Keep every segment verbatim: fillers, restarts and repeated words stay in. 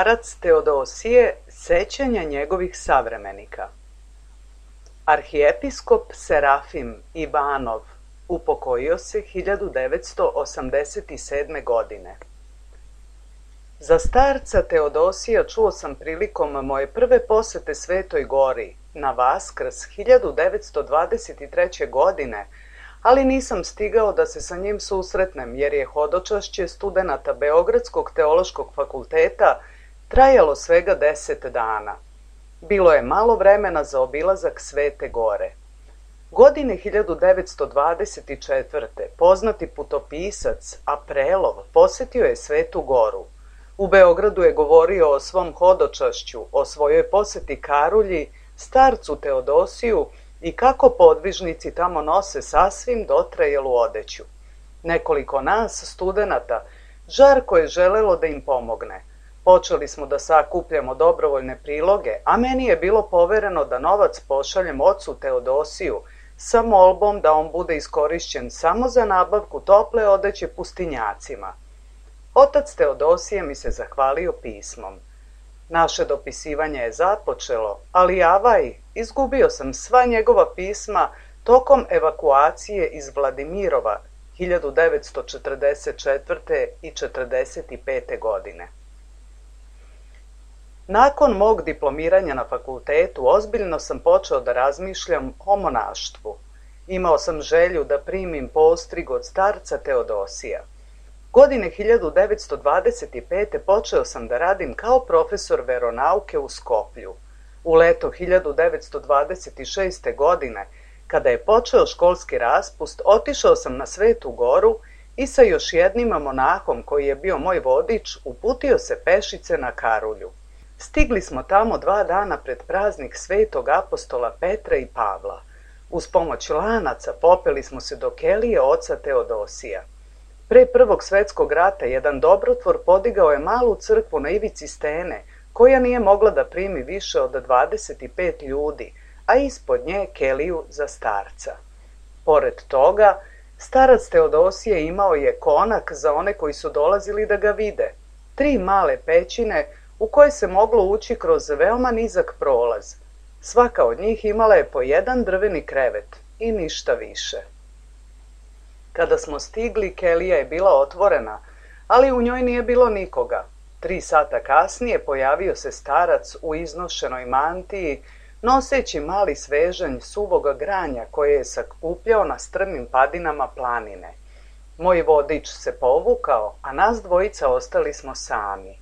Starac Teodosije, sećanja njegovih savremenika. Arhijepiskop Serafim Ivanov upokojio se hiljadu devetsto osamdeset sedme. godine. Za starca Teodosija čuo sam prilikom moje prve posete Svetoj Gori na Vaskrs hiljadu devetsto dvadeset treće. godine, ali nisam stigao da se sa njim susretnem jer je hodočašće studenata Beogradskog teološkog fakulteta trajalo svega deset dana. Bilo je malo vremena za obilazak Svete Gore. Godine hiljadu devetsto dvadeset četvrte. poznati putopisac Aprelov posetio je Svetu Goru. U Beogradu je govorio o svom hodočašću, o svojoj poseti Karulji, starcu Teodosiju i kako podvižnici tamo nose sasvim dotrajelu odeću. Nekoliko nas, studenata, žarko je želelo da im pomogne. Počeli smo da sakupljamo dobrovoljne priloge, a meni je bilo povereno da novac pošaljem ocu Teodosiju sa molbom da on bude iskorišćen samo za nabavku tople odeće pustinjacima. Otac Teodosije mi se zahvalio pismom. Naše dopisivanje je započelo, ali avaj, izgubio sam sva njegova pisma tokom evakuacije iz Vladimirova hiljadu devetsto četrdeset četvrte. i četrdeset pete. godine. Nakon mog diplomiranja na fakultetu ozbiljno sam počeo da razmišljam o monaštvu. Imao sam želju da primim postrig od starca Teodosija. Godine hiljadu devetsto dvadeset pete. počeo sam da radim kao profesor veronauke u Skoplju. U leto hiljadu devetsto dvadeset šeste. godine, kada je počeo školski raspust, otišao sam na Svetu Goru i sa još jednim monahom koji je bio moj vodič uputio se pešice na Karulju. Stigli smo tamo dva dana pred praznik Svetog apostola Petra i Pavla. Uz pomoć lanaca popeli smo se do kelije oca Teodosija. Pre Prvog svetskog rata jedan dobrotvor podigao je malu crkvu na ivici stene, koja nije mogla da primi više od dvadeset pet ljudi, a ispod nje keliju za starca. Pored toga, starac Teodosije imao je konak za one koji su dolazili da ga vide. tri male pećine u koje se moglo ući kroz veoma nizak prolaz. Svaka od njih imala je po jedan drveni krevet i ništa više. Kada smo stigli, kelija je bila otvorena, ali u njoj nije bilo nikoga. Tri sata kasnije pojavio se starac u iznošenoj mantiji, noseći mali svežanj suvoga granja koje je sakupljao na strmim padinama planine. Moj vodič se povukao, a nas dvojica ostali smo sami.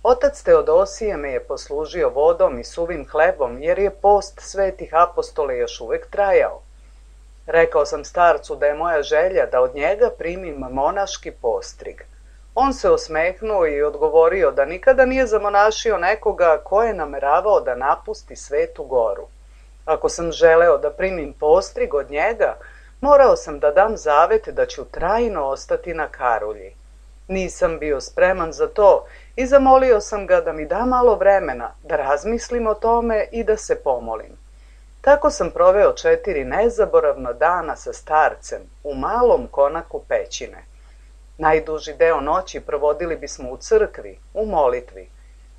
Otac Teodosije me je poslužio vodom i suvim hlebom, jer je post svetih apostola još uvek trajao. Rekao sam starcu da je moja želja da od njega primim monaški postrig. On se osmehnuo i odgovorio da nikada nije zamonašio nekoga ko je nameravao da napusti Svetu goru. Ako sam želeo da primim postrig od njega, morao sam da dam zavet da ću trajno ostati na Karulji. Nisam bio spreman za to i zamolio sam ga da mi da malo vremena, da razmislim o tome i da se pomolim. Tako sam proveo četiri nezaboravna dana sa starcem u malom konaku pećine. Najduži deo noći provodili bismo u crkvi, u molitvi.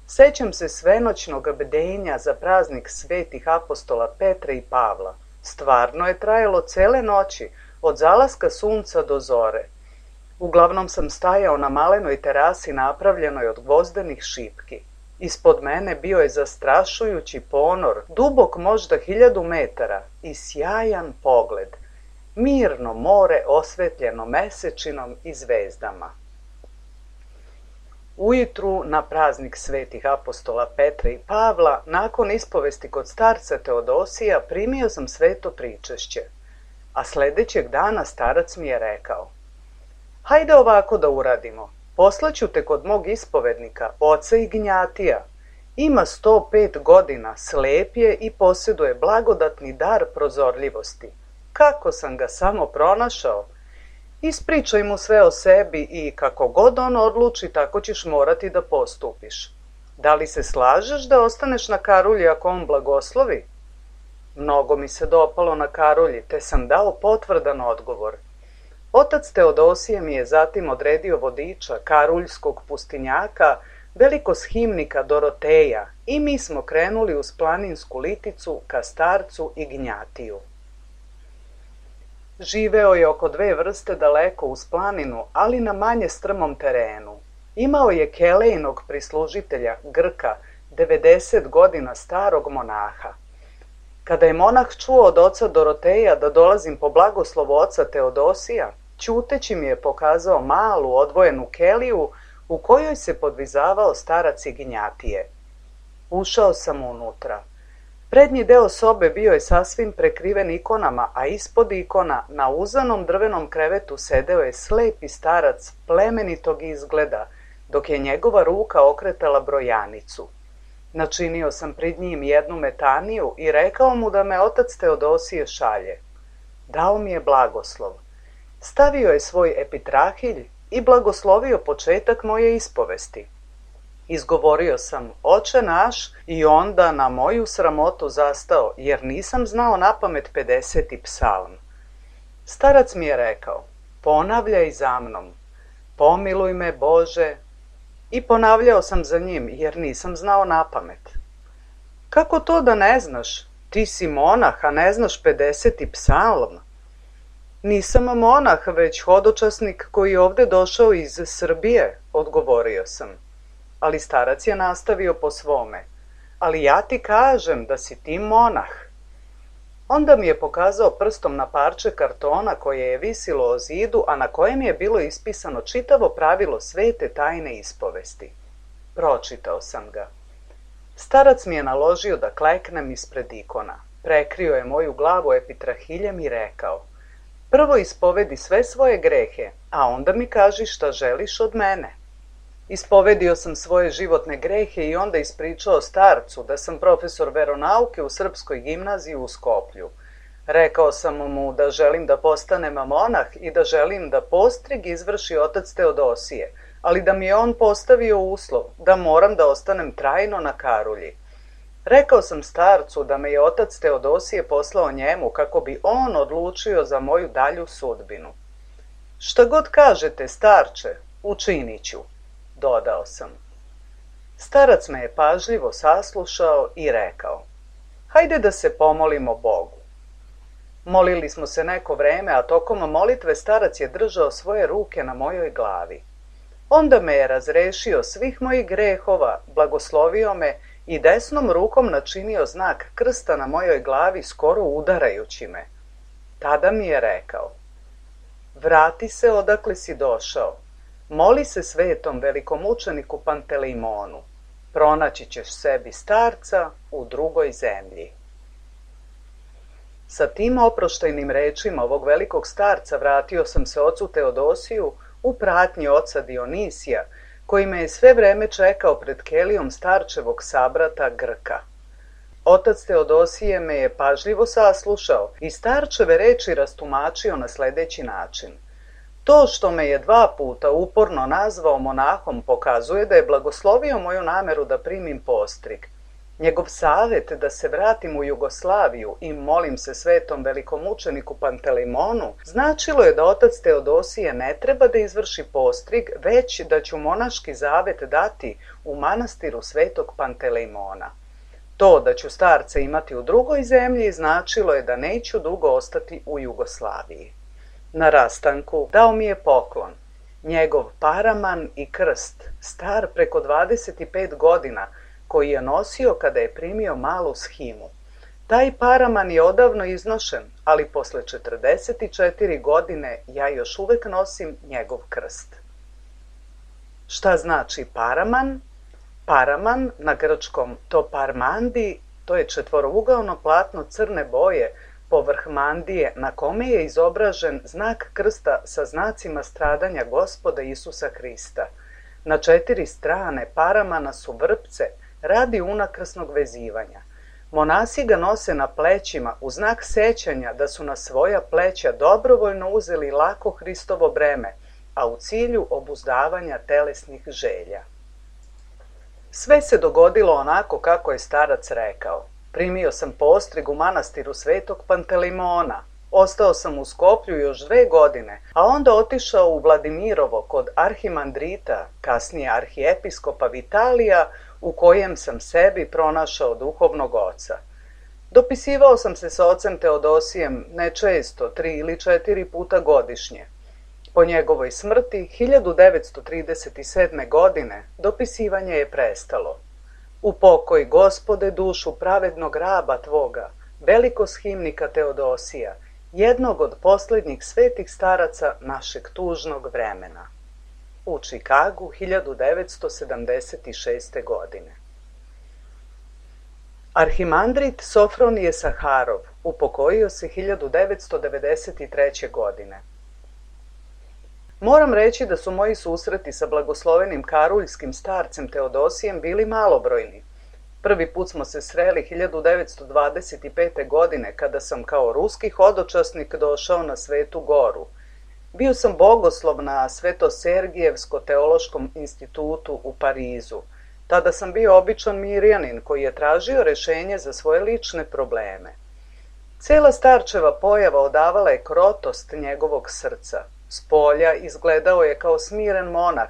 Sećam se svenoćnog bdenja za praznik svetih apostola Petra i Pavla. Stvarno je trajalo cele noći, od zalaska sunca do zore. Uglavnom sam stajao na malenoj terasi napravljenoj od gvozdenih šipki. Ispod mene bio je zastrašujući ponor, dubok možda hiljadu metara i sjajan pogled. Mirno more osvetljeno mesečinom i zvezdama. Ujutru, na praznik svetih apostola Petra i Pavla, nakon ispovesti kod starca Teodosija, primio sam sveto pričešće. A sledećeg dana starac mi je rekao: hajde ovako da uradimo. Poslaću te kod mog ispovednika, oca Ignjatija. Ima sto pet godina, slep je i posjeduje blagodatni dar prozorljivosti. Kako sam ga samo pronašao? Ispričaj mu sve o sebi i kako god on odluči, tako ćeš morati da postupiš. Da li se slažeš da ostaneš na Karulji ako on blagoslovi? Mnogo mi se dopalo na Karulji, te sam dao potvrdan odgovor. Otac Teodosije mi je zatim odredio vodiča karuljskog pustinjaka, velikosхimnika Doroteja, i mi smo krenuli uz planinsku liticu ka starcu Ignjatiju. Živeo je oko dve vrste daleko uz planinu, ali na manje strmom terenu. Imao je kelejnog prislužitelja, Grka, devedeset godina starog monaha. Kada je monah čuo od oca Doroteja da dolazim po blagoslovu oca Teodosija, ćuteći mi je pokazao malu odvojenu keliju u kojoj se podvizavao starac Ignjatije. Ušao sam unutra. Prednji deo sobe bio je sasvim prekriven ikonama, a ispod ikona na uzanom drvenom krevetu sedeo je slepi starac plemenitog izgleda, dok je njegova ruka okretala brojanicu. Načinio sam pred njim jednu metaniju i rekao mu da me otac Teodosije šalje. Dao mi je blagoslov. Stavio je svoj epitrahilj i blagoslovio početak moje ispovesti. Izgovorio sam: Oče naš, i onda na moju sramotu zastao, jer nisam znao napamet pedeseti psalm. Starac mi je rekao: ponavljaj za mnom, pomiluj me Bože, i ponavljao sam za njim, jer nisam znao napamet. Kako to da ne znaš? Ti si monah, a ne znaš pedeseti psalm? Nisam monah, već hodočasnik koji je ovde došao iz Srbije, odgovorio sam. Ali starac je nastavio po svome. Ali ja ti kažem da si ti monah. Onda mi je pokazao prstom na parče kartona koje je visilo o zidu, a na kojem je bilo ispisano čitavo pravilo svete tajne ispovesti. Pročitao sam ga. Starac mi je naložio da kleknem ispred ikona. Prekrio je moju glavu epitrahiljem i rekao: prvo ispovedi sve svoje grehe, a onda mi kaži šta želiš od mene. Ispovedio sam svoje životne grehe i onda ispričao starcu da sam profesor veronauke u Srpskoj gimnaziji u Skoplju. Rekao sam mu da želim da postanem monah i da želim da postrig izvrši otac Teodosije, ali da mi je on postavio uslov da moram da ostanem trajno na Karulji. Rekao sam starcu da me je otac Teodosije poslao njemu kako bi on odlučio za moju dalju sudbinu. Šta god kažete, starče, učinit ću. dodao sam. Starac me je pažljivo saslušao i rekao: hajde da se pomolimo Bogu. Molili smo se neko vreme, a tokom molitve starac je držao svoje ruke na mojoj glavi. Onda me je razrešio svih mojih grehova, blagoslovio me i desnom rukom načinio znak krsta na mojoj glavi, skoro udarajući me. Tada mi je rekao: vrati se odakle si došao, moli se svetom velikomučeniku Pantelejmonu, pronaći ćeš sebi starca u drugoj zemlji. Sa tim oproštajnim rečima ovog velikog starca vratio sam se ocu Teodosiju u pratnji oca Dionisija, koji me je sve vreme čekao pred kelijom starčevog sabrata Grka. Otac Teodosije me je pažljivo saslušao i starčeve reči rastumačio na sljedeći način. To što me je dva puta uporno nazvao monahom pokazuje da je blagoslovio moju nameru da primim postrig. Njegov savjet da se vratim u Jugoslaviju i molim se svetom velikomučeniku Pantelejmonu značilo je da otac Teodosije ne treba da izvrši postrig, već da ću monaški zavet dati u manastiru svetog Pantelejmona. To da ću starca imati u drugoj zemlji značilo je da neću dugo ostati u Jugoslaviji. Na rastanku dao mi je poklon, njegov paraman i krst, star preko dvadeset pet godina, koji je nosio kada je primio malu shimu. Taj paraman je odavno iznošen, ali posle četrdeset četiri godine ja još uvek nosim njegov krst. Šta znači paraman? Paraman, na grčkom to parmandi, to je četvorougaono platno crne boje povrh mandije na kome je izobražen znak krsta sa znacima stradanja Gospoda Isusa Hrista. Na četiri strane paramana su vrpce radi unakrsnog vezivanja. Monasi ga nose na plećima u znak sećanja da su na svoja pleća dobrovoljno uzeli lako Hristovo breme, a u cilju obuzdavanja telesnih želja. Sve se dogodilo onako kako je starac rekao. Primio sam postrig u manastiru svetog Pantelejmona. Ostao sam u Skoplju još dve godine, a onda otišao u Vladimirovo kod arhimandrita, kasnije arhijepiskopa Vitalija, u kojem sam sebi pronašao duhovnog oca. Dopisivao sam se sa ocem Teodosijem ne često, tri ili četiri puta godišnje. Po njegovoj smrti, hiljadu devetsto trideset sedme. godine, dopisivanje je prestalo. U pokoj, Gospode, dušu pravednog raba tvoga, velikosхimnika Teodosija, jednog od posljednjih svetih staraca našeg tužnog vremena. U Čikagu, hiljadu devetsto sedamdeset šeste. godine. Arhimandrit Sofronije Saharov upokojio se hiljadu devetsto devedeset treće. godine. Moram reći da su moji susreti sa blagoslovenim karuljskim starcem Teodosijem bili malobrojni. Prvi put smo se sreli hiljadu devetsto dvadeset pete. godine kada sam kao ruski hodočasnik došao na Svetu Goru. Bio sam bogoslov na Sveto-Sergijevsko-teološkom institutu u Parizu. Tada sam bio običan mirjanin koji je tražio rešenje za svoje lične probleme. Cela starčeva pojava odavala je krotost njegovog srca. Spolja izgledao je kao smiren monah,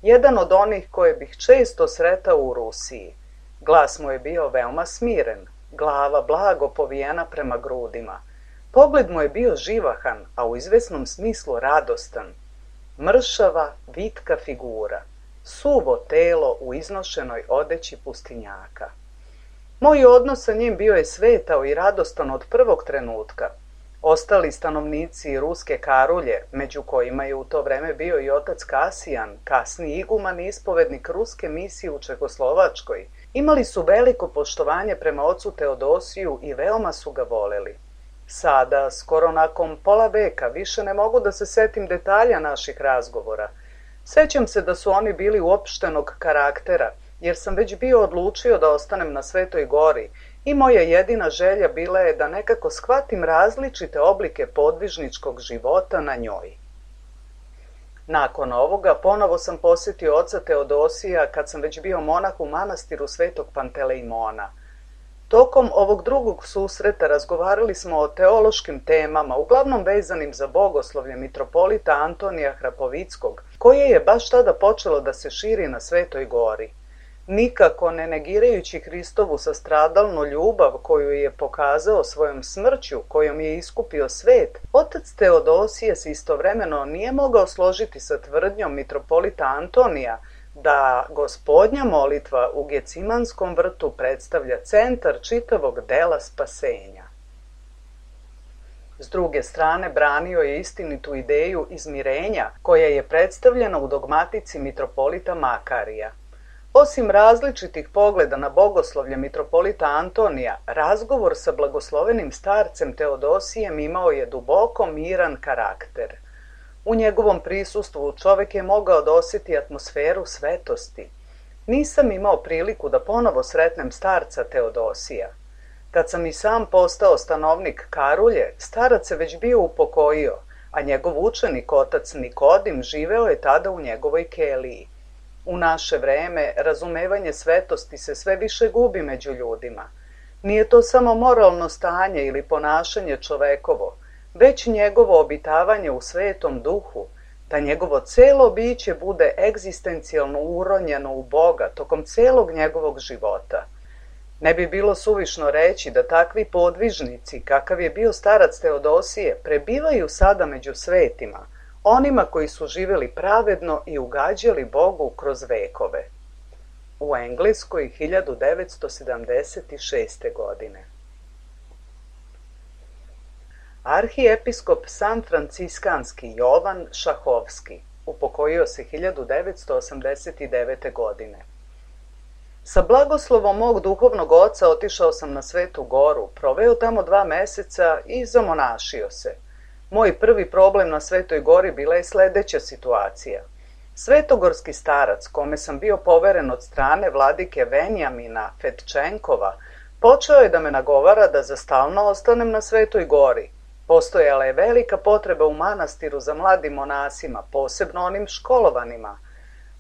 jedan od onih koje bih često sretao u Rusiji. Glas mu je bio veoma smiren, glava blago povijena prema grudima. Pogled mu je bio živahan, a u izvesnom smislu radostan. Mršava, vitka figura, suvo telo u iznošenoj odeći pustinjaka. Moj odnos sa njim bio je svetao i radostan od prvog trenutka. Ostali stanovnici ruske Karulje, među kojima je u to vreme bio i otac Kasijan, kasni iguman i ispovednik ruske misije u Čehoslovačkoj, imali su veliko poštovanje prema ocu Teodosiju i veoma su ga voleli. Sada, skoro nakon pola veka, više ne mogu da se setim detalja naših razgovora. Sećam se da su oni bili uopštenog karaktera, jer sam već bio odlučio da ostanem na Svetoj Gori i moja jedina želja bila je da nekako shvatim različite oblike podvižničkog života na njoj. Nakon ovoga ponovo sam posjetio oca Teodosija kad sam već bio monah u manastiru svetog Pantelejmona. Tokom ovog drugog susreta razgovarali smo o teološkim temama, uglavnom vezanim za bogoslovlje mitropolita Antonija Hrapovickog, koje je baš tada počelo da se širi na Svetoj gori. Nikako ne negirajući Hristovu sastradalnu ljubav koju je pokazao svojom smrću, kojom je iskupio svet, otac Teodosije se istovremeno nije mogao složiti sa tvrdnjom mitropolita Antonija da Gospodnja molitva u Gecimanskom vrtu predstavlja centar čitavog dela spasenja. S druge strane, branio je istinitu ideju izmirenja koja je predstavljena u dogmatici mitropolita Makarija. Osim različitih pogleda na bogoslovlje mitropolita Antonija, razgovor sa blagoslovenim starcem Teodosijem imao je duboko miran karakter. U njegovom prisustvu čovek je mogao da osjeti atmosferu svetosti. Nisam imao priliku da ponovo sretnem starca Teodosija. Kad sam i sam postao stanovnik Karulje, starac se već bio upokojio, a njegov učenik, otac Nikodim, živeo je tada u njegovoj keliji. U naše vreme razumevanje svetosti se sve više gubi među ljudima. Nije to samo moralno stanje ili ponašanje čovekovo, već njegovo obitavanje u svetom duhu, da njegovo celo biće bude egzistencijalno uronjeno u Boga tokom celog njegovog života. Ne bi bilo suvišno reći da takvi podvižnici, kakav je bio starac Teodosije, prebivaju sada među svetima, onima koji su živjeli pravedno i ugađali Bogu kroz vekove. U Engleskoj hiljadu devetsto sedamdeset šeste. godine. Arhijepiskop sanfranciskanski Jovan Šahovski upokojio se hiljadu devetsto osamdeset devete. godine. Sa blagoslovom mog duhovnog oca otišao sam na Svetu goru, proveo tamo dva meseca i zamonašio se. Moj prvi problem na Svetoj gori bila je sledeća situacija. Svetogorski starac, kome sam bio poveren od strane vladike Venjamina Fetčenkova, počeo je da me nagovara da za stalno ostanem na Svetoj gori. Postojala je velika potreba u manastiru za mladim monasima, posebno onim školovanima.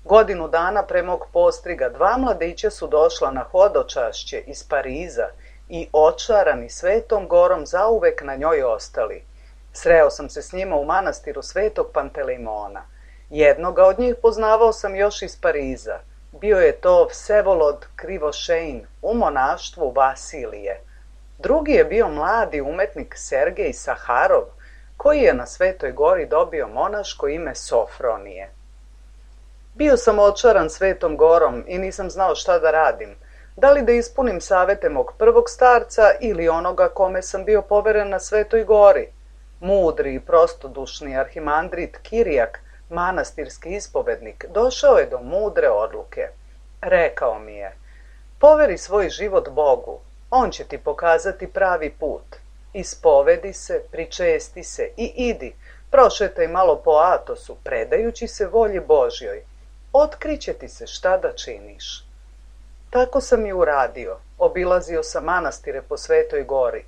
Godinu dana pre mog postriga dva mladića su došla na hodočašće iz Pariza i očarani Svetom gorom zauvek na njoj ostali. Sreo sam se s njima u manastiru Svetog Pantelejmona. Jednoga od njih poznavao sam još iz Pariza. Bio je to Vsevolod Krivošejn u monaštvu Vasilije. Drugi je bio mladi umetnik Sergej Saharov, koji je na Svetoj gori dobio monaško ime Sofronije. Bio sam očaran Svetom gorom i nisam znao šta da radim. Da li da ispunim savete mog prvog starca ili onoga kome sam bio poveren na Svetoj gori? Mudri i prostodušni arhimandrit Kirijak, manastirski ispovednik, došao je do mudre odluke. Rekao mi je: poveri svoj život Bogu, on će ti pokazati pravi put. Ispovedi se, pričesti se i idi, prošetaj malo po Atosu, predajući se volji Božjoj. Otkriće ti se šta da činiš. Tako sam i uradio. Obilazio sam manastire po Svetoj gori.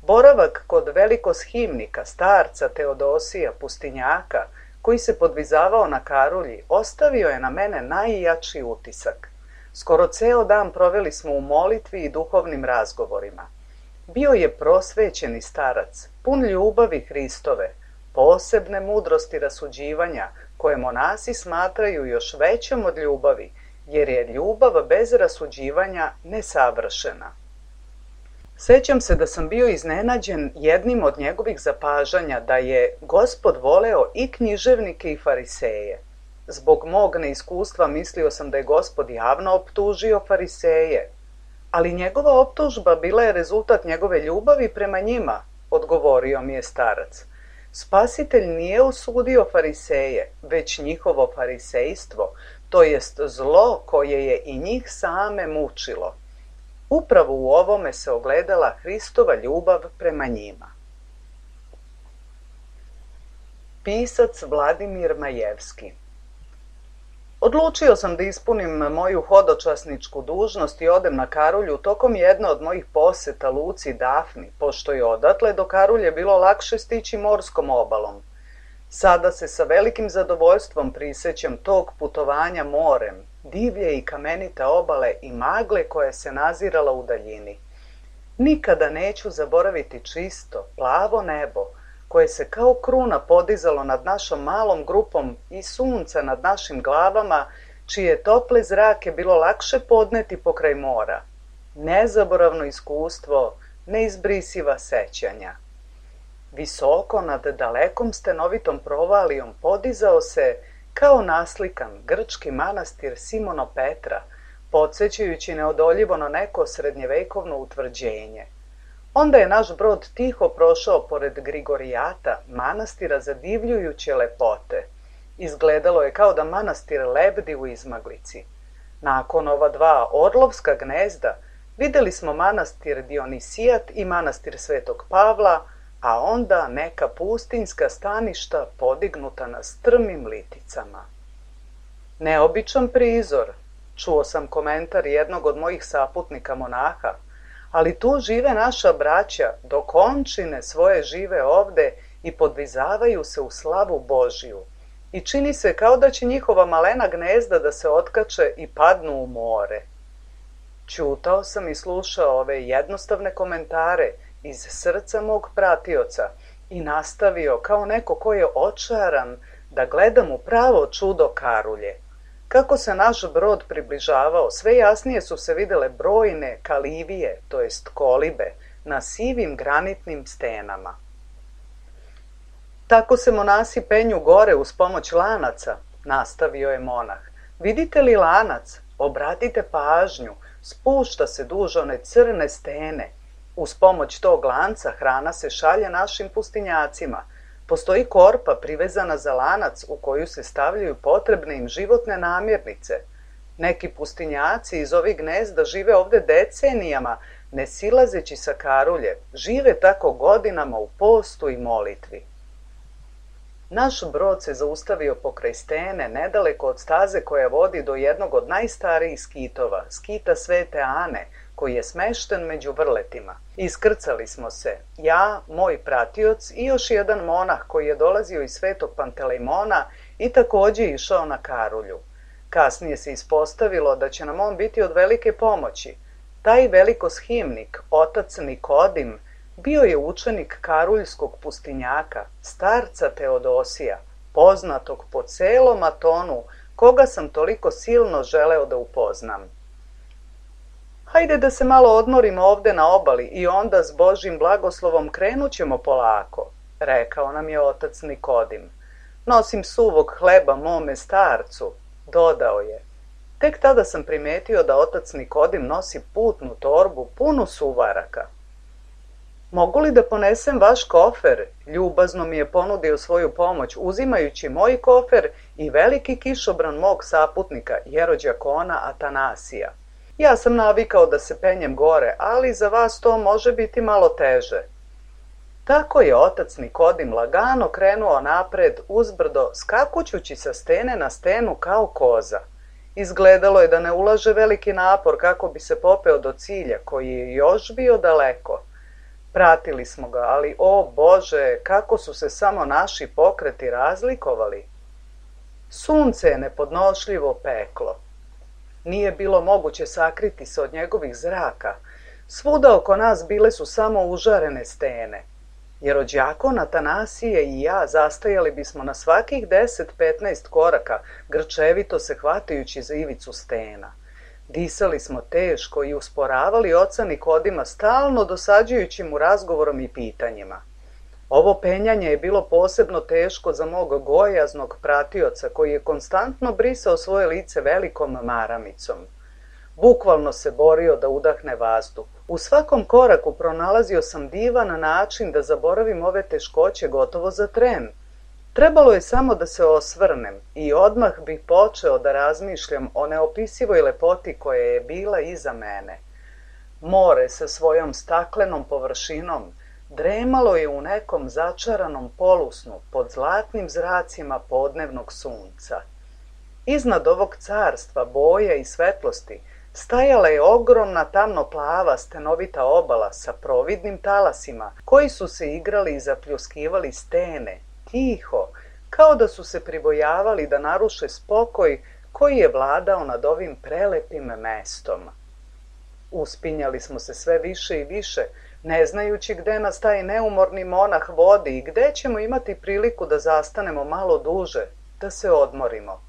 Boravak kod velikoshimnika, starca Teodosija Pustinjaka, koji se podvizavao na Karulji, ostavio je na mene najjači utisak. Skoro ceo dan proveli smo u molitvi i duhovnim razgovorima. Bio je prosvećeni starac, pun ljubavi Hristove, posebne mudrosti rasuđivanja, koje monasi smatraju još većom od ljubavi, jer je ljubav bez rasuđivanja nesavršena. Sećam se da sam bio iznenađen jednim od njegovih zapažanja da je Gospod voleo i književnike i fariseje. Zbog mog neiskustva mislio sam da je Gospod javno optužio fariseje, ali njegova optužba bila je rezultat njegove ljubavi prema njima, odgovorio mi je starac. Spasitelj nije osudio fariseje, već njihovo farisejstvo, to jest zlo koje je i njih same mučilo. Upravo u ovome se ogledala Hristova ljubav prema njima. Pisac Vladimir Majevski. Odlučio sam da ispunim moju hodočasničku dužnost i odem na Karulju tokom jedne od mojih poseta luci Dafni, pošto je odatle do Karulje bilo lakše stići morskom obalom. Sada se sa velikim zadovoljstvom prisećam tog putovanja morem, divlje i kamenite obale i magle koja se nazirala u daljini. Nikada neću zaboraviti čisto, plavo nebo, koje se kao kruna podizalo nad našom malom grupom i sunca nad našim glavama, čije tople zrake bilo lakše podneti pokraj mora. Nezaboravno iskustvo, neizbrisiva sećanja. Visoko nad dalekom stenovitom provalijom podizao se, kao naslikan, grčki manastir Simono Petra, podsjećajući neodoljivo na neko srednjevekovno utvrđenje. Onda je naš brod tiho prošao pored Grigorijata, manastira zadivljujuće lepote. Izgledalo je kao da manastir lebdi u izmaglici. Nakon ova dva orlovska gnezda vidjeli smo manastir Dionisijat i manastir Svetog Pavla, a onda neka pustinjska staništa podignuta na strmim liticama. Neobičan prizor, čuo sam komentar jednog od mojih saputnika monaha, ali tu žive naša braća, dok omčine svoje žive ovde i podvizavaju se u slavu Božiju. I čini se kao da će njihova malena gnezda da se otkače i padnu u more. Ćutao sam i slušao ove jednostavne komentare iz srca mog pratioca i nastavio kao neko ko je očaran da gledam u pravo čudo Karulje. Kako se naš brod približavao, sve jasnije su se videle brojne kalivije, to jest kolibe, na sivim granitnim stenama. Tako se monasi penju gore uz pomoć lanaca, nastavio je monah. Vidite li lanac? Obratite pažnju, spušta se duž one crne stene. Uz pomoć tog lanca hrana se šalje našim pustinjacima. Postoji korpa privezana za lanac u koju se stavljaju potrebne im životne namirnice. Neki pustinjaci iz ovih gnezda žive ovde decenijama, ne silazeći sa Karulje, žive tako godinama u postu i molitvi. Naš brod se zaustavio pokraj stene, nedaleko od staze koja vodi do jednog od najstarijih skitova, skita Svete Ane, koji je smešten među vrletima. Iskrcali smo se, ja, moj pratioc i još jedan monah koji je dolazio iz Svetog Pantelejmona i takođe išao na Karulju. Kasnije se ispostavilo da će nam on biti od velike pomoći. Taj velikoshimnik, otac Nikodim, bio je učenik karuljskog pustinjaka, starca Teodosija, poznatog po celom Atonu, koga sam toliko silno želeo da upoznam. Hajde da se malo odmorimo ovde na obali i onda s Božjim blagoslovom krenut ćemo polako, rekao nam je otac Nikodim. Nosim suvog hleba mome starcu, dodao je. Tek tada sam primetio da otac Nikodim nosi putnu torbu punu suvaraka. Mogu li da ponesem vaš kofer? Ljubazno mi je ponudio svoju pomoć, uzimajući moj kofer i veliki kišobran mog saputnika, jerođakona Atanasija. Ja sam navikao da se penjem gore, ali za vas to može biti malo teže. Tako je otac Nikodim lagano krenuo napred uzbrdo, skakućući sa stene na stenu kao koza. Izgledalo je da ne ulaže veliki napor kako bi se popeo do cilja, koji je još bio daleko. Pratili smo ga, ali o Bože, kako su se samo naši pokreti razlikovali. Sunce je nepodnošljivo peklo. Nije bilo moguće sakriti se od njegovih zraka. Svuda oko nas bile su samo užarene stene. Jerođakon Atanasije i ja zastajali bismo na svakih deset do petnaest koraka, grčevito se hvatajući za ivicu stena. Disali smo teško i usporavali oca Nikodima, stalno dosađujući mu razgovorom i pitanjima. Ovo penjanje je bilo posebno teško za mog gojaznog pratioca, koji je konstantno brisao svoje lice velikom maramicom. Bukvalno se borio da udahne vazduh. U svakom koraku pronalazio sam divan način da zaboravim ove teškoće gotovo za tren. Trebalo je samo da se osvrnem i odmah bih počeo da razmišljam o neopisivoj lepoti koja je bila iza mene. More sa svojom staklenom površinom dremalo je u nekom začaranom polusnu pod zlatnim zracima podnevnog sunca. Iznad ovog carstva boja i svetlosti stajala je ogromna tamno-plava stenovita obala sa providnim talasima koji su se igrali i zapljuskivali stene, tiho, kao da su se pribojavali da naruše spokoj koji je vladao nad ovim prelepim mestom. Uspinjali smo se sve više i više, ne znajući gde nas taj neumorni monah vodi i gde ćemo imati priliku da zastanemo malo duže, da se odmorimo.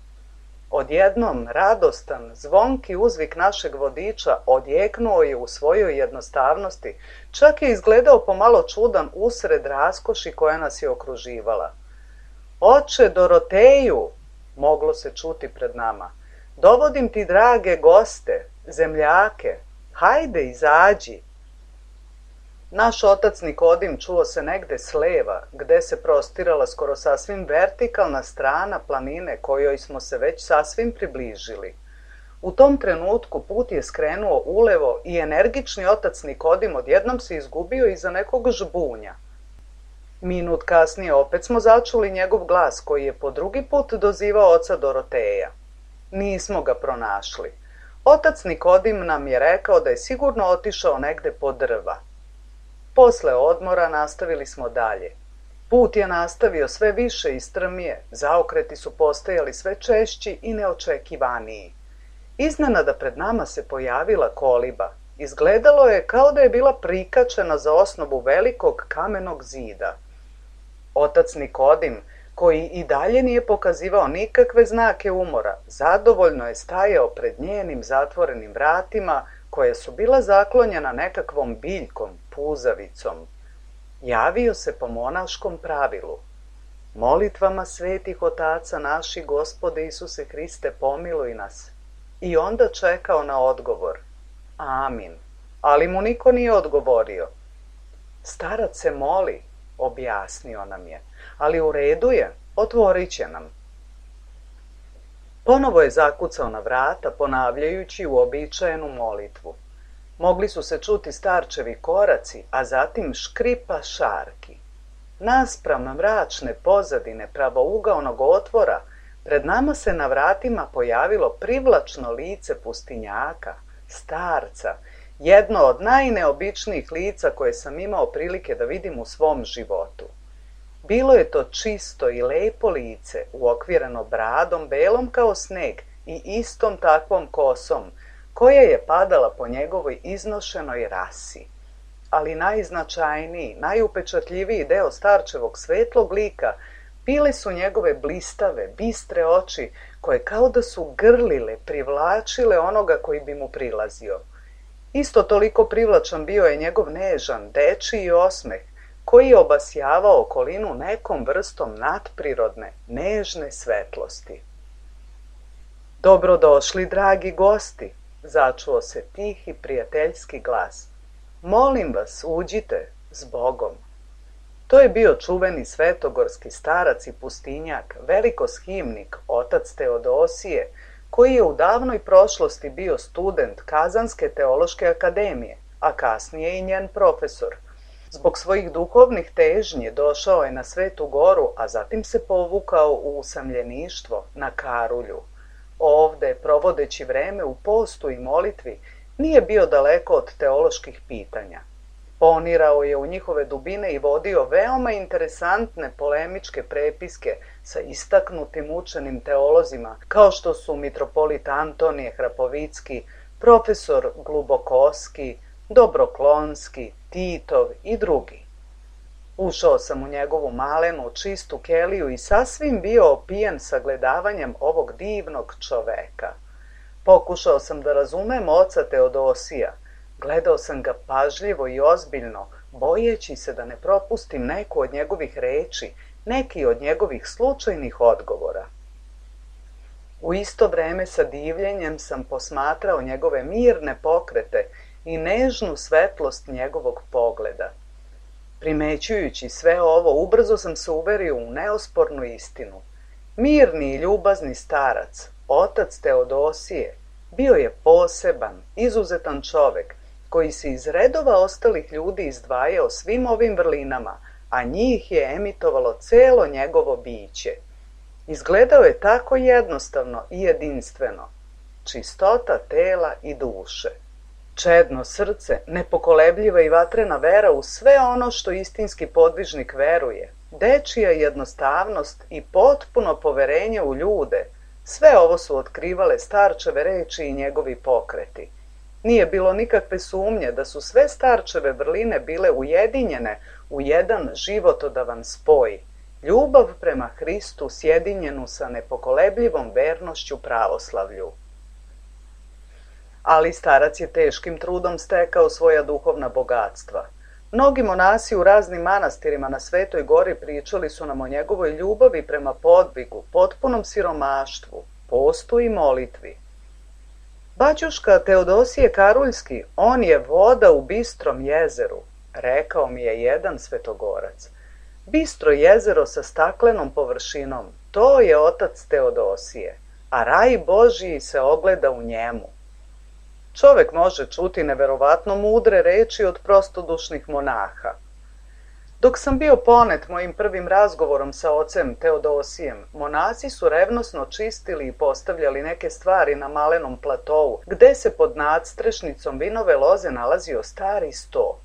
Odjednom, radostan, zvonki uzvik našeg vodiča odjeknuo je u svojoj jednostavnosti, čak je izgledao pomalo čudan usred raskoši koja nas je okruživala. Oče Doroteju, moglo se čuti pred nama, dovodim ti drage goste, zemljake, hajde izađi. Naš otac Nikodim čuo se negde s leva, gde se prostirala skoro sasvim vertikalna strana planine kojoj smo se već sasvim približili. U tom trenutku put je skrenuo ulevo i energični otac Nikodim odjednom se izgubio iza nekog žbunja. Minut kasnije opet smo začuli njegov glas koji je po drugi put dozivao oca Doroteja. Nismo ga pronašli. Otac Nikodim nam je rekao da je sigurno otišao negde po drva. Posle odmora nastavili smo dalje. Put je nastavio sve više i strmije, zaokreti su postajali sve češći i neočekivaniji. Iznenada pred nama se pojavila koliba. Izgledalo je kao da je bila prikačena za osnovu velikog kamenog zida. Otac Nikodim, koji i dalje nije pokazivao nikakve znake umora, zadovoljno je stajao pred njenim zatvorenim vratima, koja su bila zaklonjena nekakvom biljkom, puzavicom. Javio se po monaškom pravilu. Molitvama svetih otaca naši, Gospode Isuse Hriste, pomiluj nas. I onda čekao na odgovor. Amin. Ali mu niko nije odgovorio. Starac se moli, objasnio nam je, ali u redu je, otvorit će nam. Ponovo je zakucao na vrata, ponavljajući uobičajenu molitvu. Mogli su se čuti starčevi koraci, a zatim škripa šarki. Naspram mračne pozadine pravougaonog otvora, pred nama se na vratima pojavilo privlačno lice pustinjaka, starca, jedno od najneobičnijih lica koje sam imao prilike da vidim u svom životu. Bilo je to čisto i lepo lice, uokvireno bradom belom kao sneg i istom takvom kosom, koja je padala po njegovoj iznošenoj rasi. Ali najznačajniji, najupečatljiviji deo starčevog svetlog lika bile su njegove blistave, bistre oči, koje kao da su grlile, privlačile onoga koji bi mu prilazio. Isto toliko privlačan bio je njegov nežan, dečiji osmeh, koji je obasjavao okolinu nekom vrstom nadprirodne, nežne svetlosti. Dobrodošli, dragi gosti, začuo se tihi prijateljski glas. Molim vas, uđite, s Bogom. To je bio čuveni svetogorski starac i pustinjak, velikoshimnik, otac Teodosije, koji je u davnoj prošlosti bio student Kazanske teološke akademije, a kasnije i njen profesor. Zbog svojih duhovnih težnji došao je na Svetu Goru, a zatim se povukao u usamljeništvo na Karulju. Ovde, provodeći vreme u postu i molitvi, nije bio daleko od teoloških pitanja. Ponirao je u njihove dubine i vodio veoma interesantne polemičke prepiske sa istaknutim učenim teolozima, kao što su mitropolit Antonije Hrapovicki, profesor Glubokoski, Dobroklonski, Titov i drugi. Ušao sam u njegovu malenu, čistu keliju i sasvim bio opijen sagledavanjem ovog divnog čoveka. Pokušao sam da razumem oca Teodosija. Gledao sam ga pažljivo i ozbiljno, bojeći se da ne propustim neku od njegovih reči, neki od njegovih slučajnih odgovora. U isto vreme sa divljenjem sam posmatrao njegove mirne pokrete i nežnu svetlost njegovog pogleda. Primećujući sve ovo, ubrzo sam se uverio u neospornu istinu. Mirni i ljubazni starac, otac Teodosije, bio je poseban, izuzetan čovek, koji se iz redova ostalih ljudi izdvajao svim ovim vrlinama, a njih je emitovalo celo njegovo biće. Izgledao je tako jednostavno i jedinstveno. Čistota tela i duše. Čedno srce, nepokolebljiva i vatrena vera u sve ono što istinski podvižnik veruje, dečija jednostavnost i potpuno poverenje u ljude, sve ovo su otkrivale starčeve reči i njegovi pokreti. Nije bilo nikakve sumnje da su sve starčeve vrline bile ujedinjene u jedan životodavan spoj, ljubav prema Hristu sjedinjenu sa nepokolebljivom vernošću pravoslavlju. Ali starac je teškim trudom stekao svoja duhovna bogatstva. Mnogi monasi u raznim manastirima na Svetoj gori pričali su nam o njegovoj ljubavi prema podvigu, potpunom siromaštvu, postu i molitvi. Baćuška Teodosije Karuljski, on je voda u bistrom jezeru, rekao mi je jedan svetogorac. Bistro jezero sa staklenom površinom, to je otac Teodosije, a raj Božiji se ogleda u njemu. Čovek može čuti neverovatno mudre reči od prostodušnih monaha. Dok sam bio ponet mojim prvim razgovorom sa ocem Teodosijem, monasi su revnosno čistili i postavljali neke stvari na malenom platovu, gde se pod nadstrešnicom vinove loze nalazio stari sto.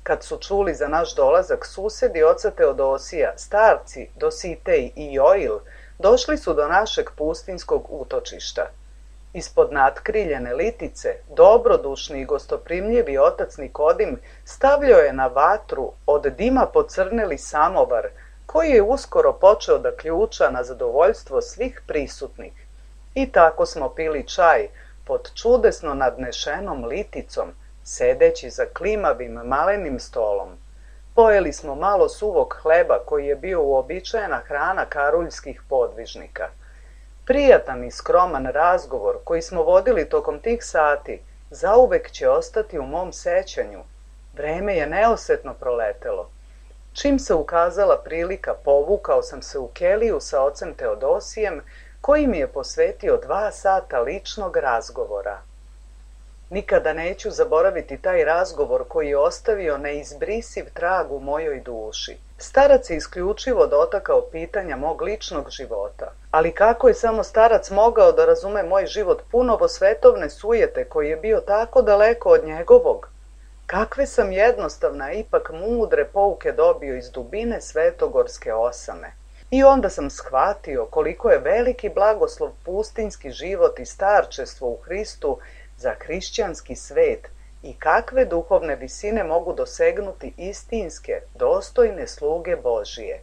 Kad su čuli za naš dolazak, susedi oca Teodosija, starci Dositej i Joil, došli su do našeg pustinskog utočišta. Ispod natkriljene litice, dobrodušni i gostoprimljivi otac Nikodim stavljao je na vatru od dima pocrneli samovar, koji je uskoro počeo da ključa na zadovoljstvo svih prisutnih. I tako smo pili čaj pod čudesno nadnešenom liticom, sedeći za klimavim malenim stolom. Pojeli smo malo suvog hleba koji je bio uobičajena hrana karuljskih podvižnika. Prijatan i skroman razgovor koji smo vodili tokom tih sati zauvek će ostati u mom sećanju. Vreme je neosetno proletelo. Čim se ukazala prilika, povukao sam se u keliju sa ocem Teodosijem, koji mi je posvetio dva sata ličnog razgovora. Nikada neću zaboraviti taj razgovor koji je ostavio neizbrisiv trag u mojoj duši. Starac je isključivo dotakao pitanja mog ličnog života. Ali kako je samo starac mogao da razume moj život punovo svetovne sujete koji je bio tako daleko od njegovog? Kakve sam jednostavna, ipak mudre pouke dobio iz dubine svetogorske osame. I onda sam shvatio koliko je veliki blagoslov pustinski život i starčestvo u Hristu za hrišćanski svet i kakve duhovne visine mogu dosegnuti istinske, dostojne sluge Božije.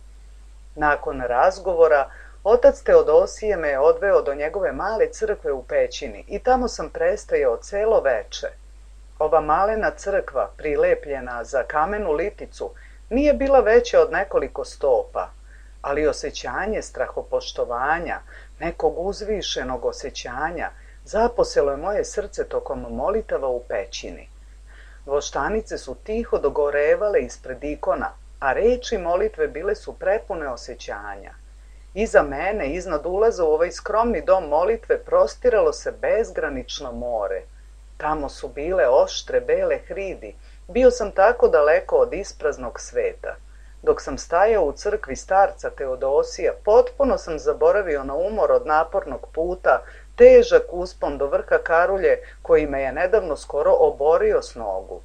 Nakon razgovora, otac Teodosije me je odveo do njegove male crkve u pećini i tamo sam prestajao celo veče. Ova malena crkva, prilepljena za kamenu liticu, nije bila veća od nekoliko stopa, ali osjećanje strahopoštovanja, nekog uzvišenog osjećanja, zaposelo je moje srce tokom molitava u pećini. Voštanice su tiho dogorevale ispred ikona, a reči molitve bile su prepune osjećanja. Iza mene, iznad ulaza u ovaj skromni dom molitve, prostiralo se bezgranično more. Tamo su bile oštre bele hridi. Bio sam tako daleko od ispraznog sveta. Dok sam stajao u crkvi starca Teodosija, potpuno sam zaboravio na umor od napornog puta, težak uspon do vrha Karulje koji me je nedavno skoro oborio s nogu.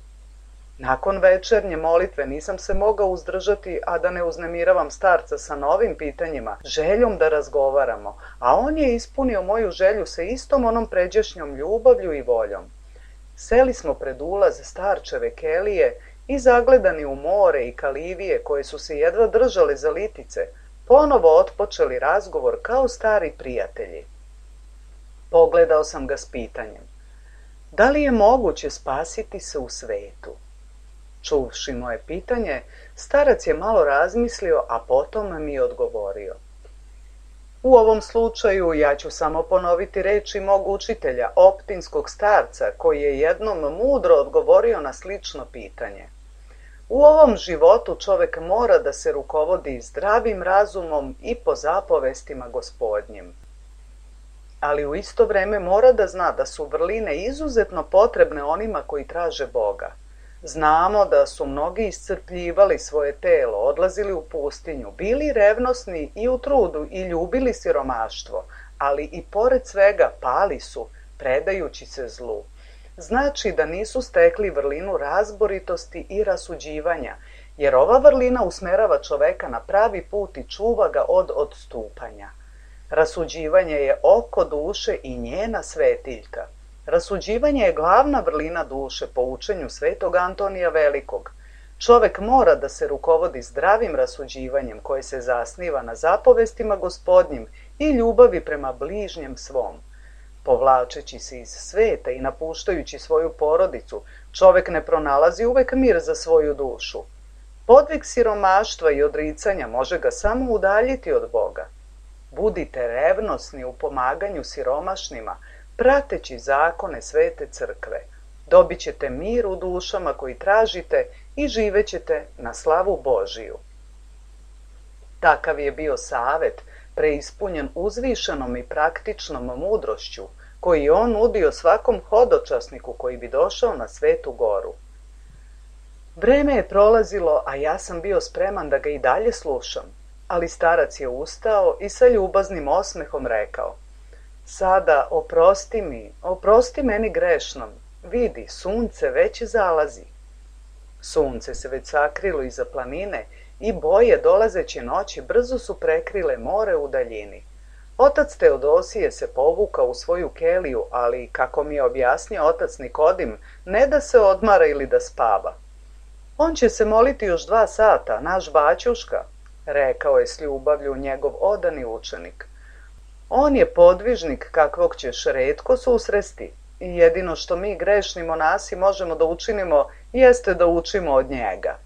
Nakon večernje molitve nisam se mogao uzdržati, a da ne uznemiravam starca sa novim pitanjima, željom da razgovaramo, a on je ispunio moju želju sa istom onom pređašnjom ljubavlju i voljom. Seli smo pred ulaz starčeve kelije i zagledani u more i kalivije koje su se jedva držale za litice, ponovo otpočeli razgovor kao stari prijatelji. Pogledao sam ga s pitanjem. Da li je moguće spasiti se u svetu? Čuvši moje pitanje, starac je malo razmislio, a potom mi je odgovorio. U ovom slučaju ja ću samo ponoviti reči mog učitelja, optinskog starca, koji je jednom mudro odgovorio na slično pitanje. U ovom životu čovek mora da se rukovodi zdravim razumom i po zapovestima Gospodnjim. Ali u isto vreme mora da zna da su vrline izuzetno potrebne onima koji traže Boga. Znamo da su mnogi iscrpljivali svoje telo, odlazili u pustinju, bili revnosni i u trudu i ljubili siromaštvo, ali i pored svega pali su, predajući se zlu. Znači da nisu stekli vrlinu razboritosti i rasuđivanja, jer ova vrlina usmerava čoveka na pravi put i čuva ga od odstupanja. Rasuđivanje je oko duše i njena svetiljka. Rasuđivanje je glavna vrlina duše po učenju svetog Antonija Velikog. Čovek mora da se rukovodi zdravim rasuđivanjem koje se zasniva na zapovestima Gospodnjim i ljubavi prema bližnjem svom. Povlačeći se iz sveta i napuštajući svoju porodicu, čovek ne pronalazi uvek mir za svoju dušu. Podvig siromaštva i odricanja može ga samo udaljiti od Boga. Budite revnosni u pomaganju siromašnima, prateći zakone svete crkve. Dobit ćete mir u dušama koji tražite i živećete na slavu Božiju. Takav je bio savet, preispunjen uzvišenom i praktičnom mudrošću, koji je on nudio svakom hodočasniku koji bi došao na Svetu goru. Vreme je prolazilo, a ja sam bio spreman da ga i dalje slušam, ali starac je ustao i sa ljubaznim osmehom rekao: Sada oprosti mi, oprosti meni grešnom, vidi, sunce već zalazi. Sunce se već sakrilo iza planine i boje dolazeće noći brzo su prekrile more u daljini. Otac Teodosije se povukao u svoju keliju, ali, kako mi je objasnio otac Nikodim, ne da se odmara ili da spava. On će se moliti još dva sata, naš baćuška, rekao je s ljubavlju njegov odani učenik. On je podvižnik kakvog ćeš retko susresti i jedino što mi grešni monasi možemo da učinimo jeste da učimo od njega.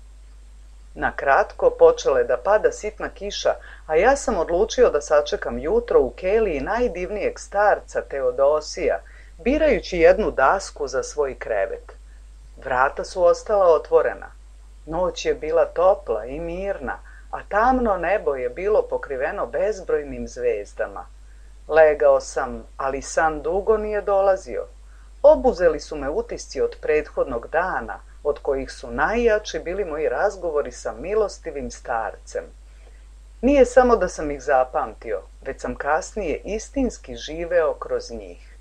Na kratko počela je da pada sitna kiša, a ja sam odlučio da sačekam jutro u keliji najdivnijeg starca Teodosija, birajući jednu dasku za svoj krevet. Vrata su ostala otvorena. Noć je bila topla i mirna, a tamno nebo je bilo pokriveno bezbrojnim zvezdama. Legao sam, ali san dugo nije dolazio. Obuzeli su me utisci od prethodnog dana, od kojih su najjači bili moji razgovori sa milostivim starcem. Nije samo da sam ih zapamtio, već sam kasnije istinski živeo kroz njih.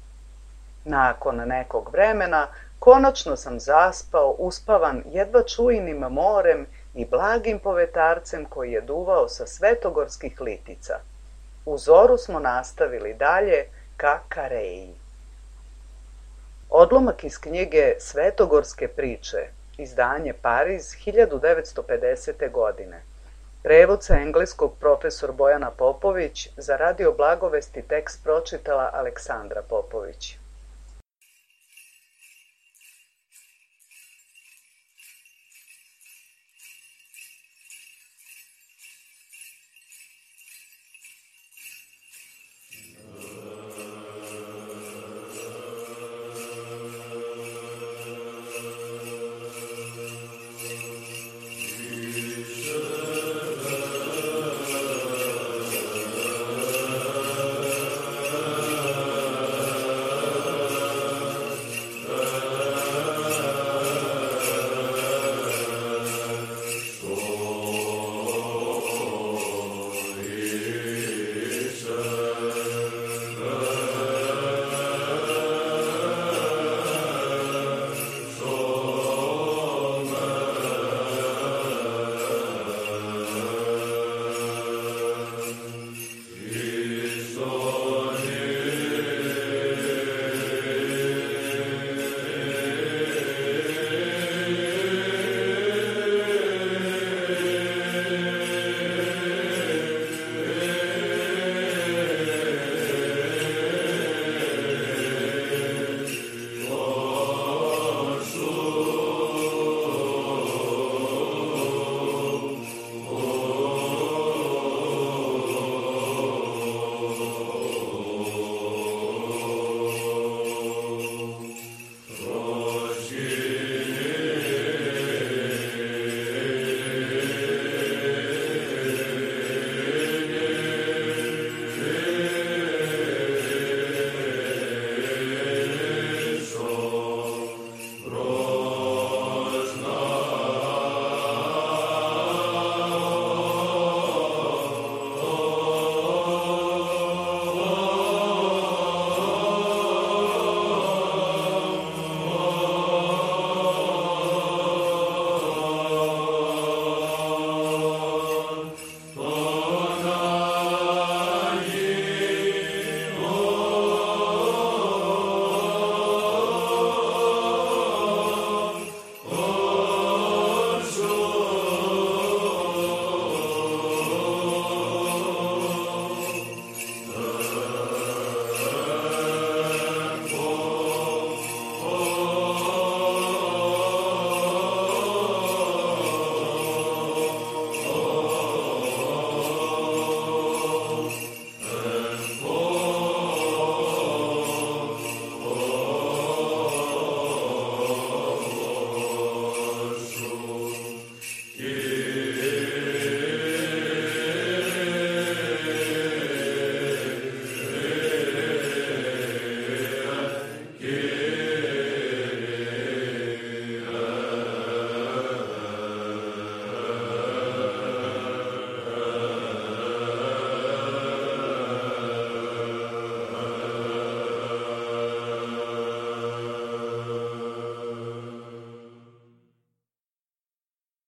Nakon nekog vremena, konačno sam zaspao, uspavan jedva čujnim morem i blagim povetarcem koji je duvao sa svetogorskih litica. U zoru smo nastavili dalje ka Kareji. Odlomak iz knjige Svetogorske priče, izdanje Pariz, hiljadu devetsto pedesete. godine. Prevod sa engleskog profesor Bojana Popović, za Radio Blagovesti tekst pročitala Aleksandra Popović.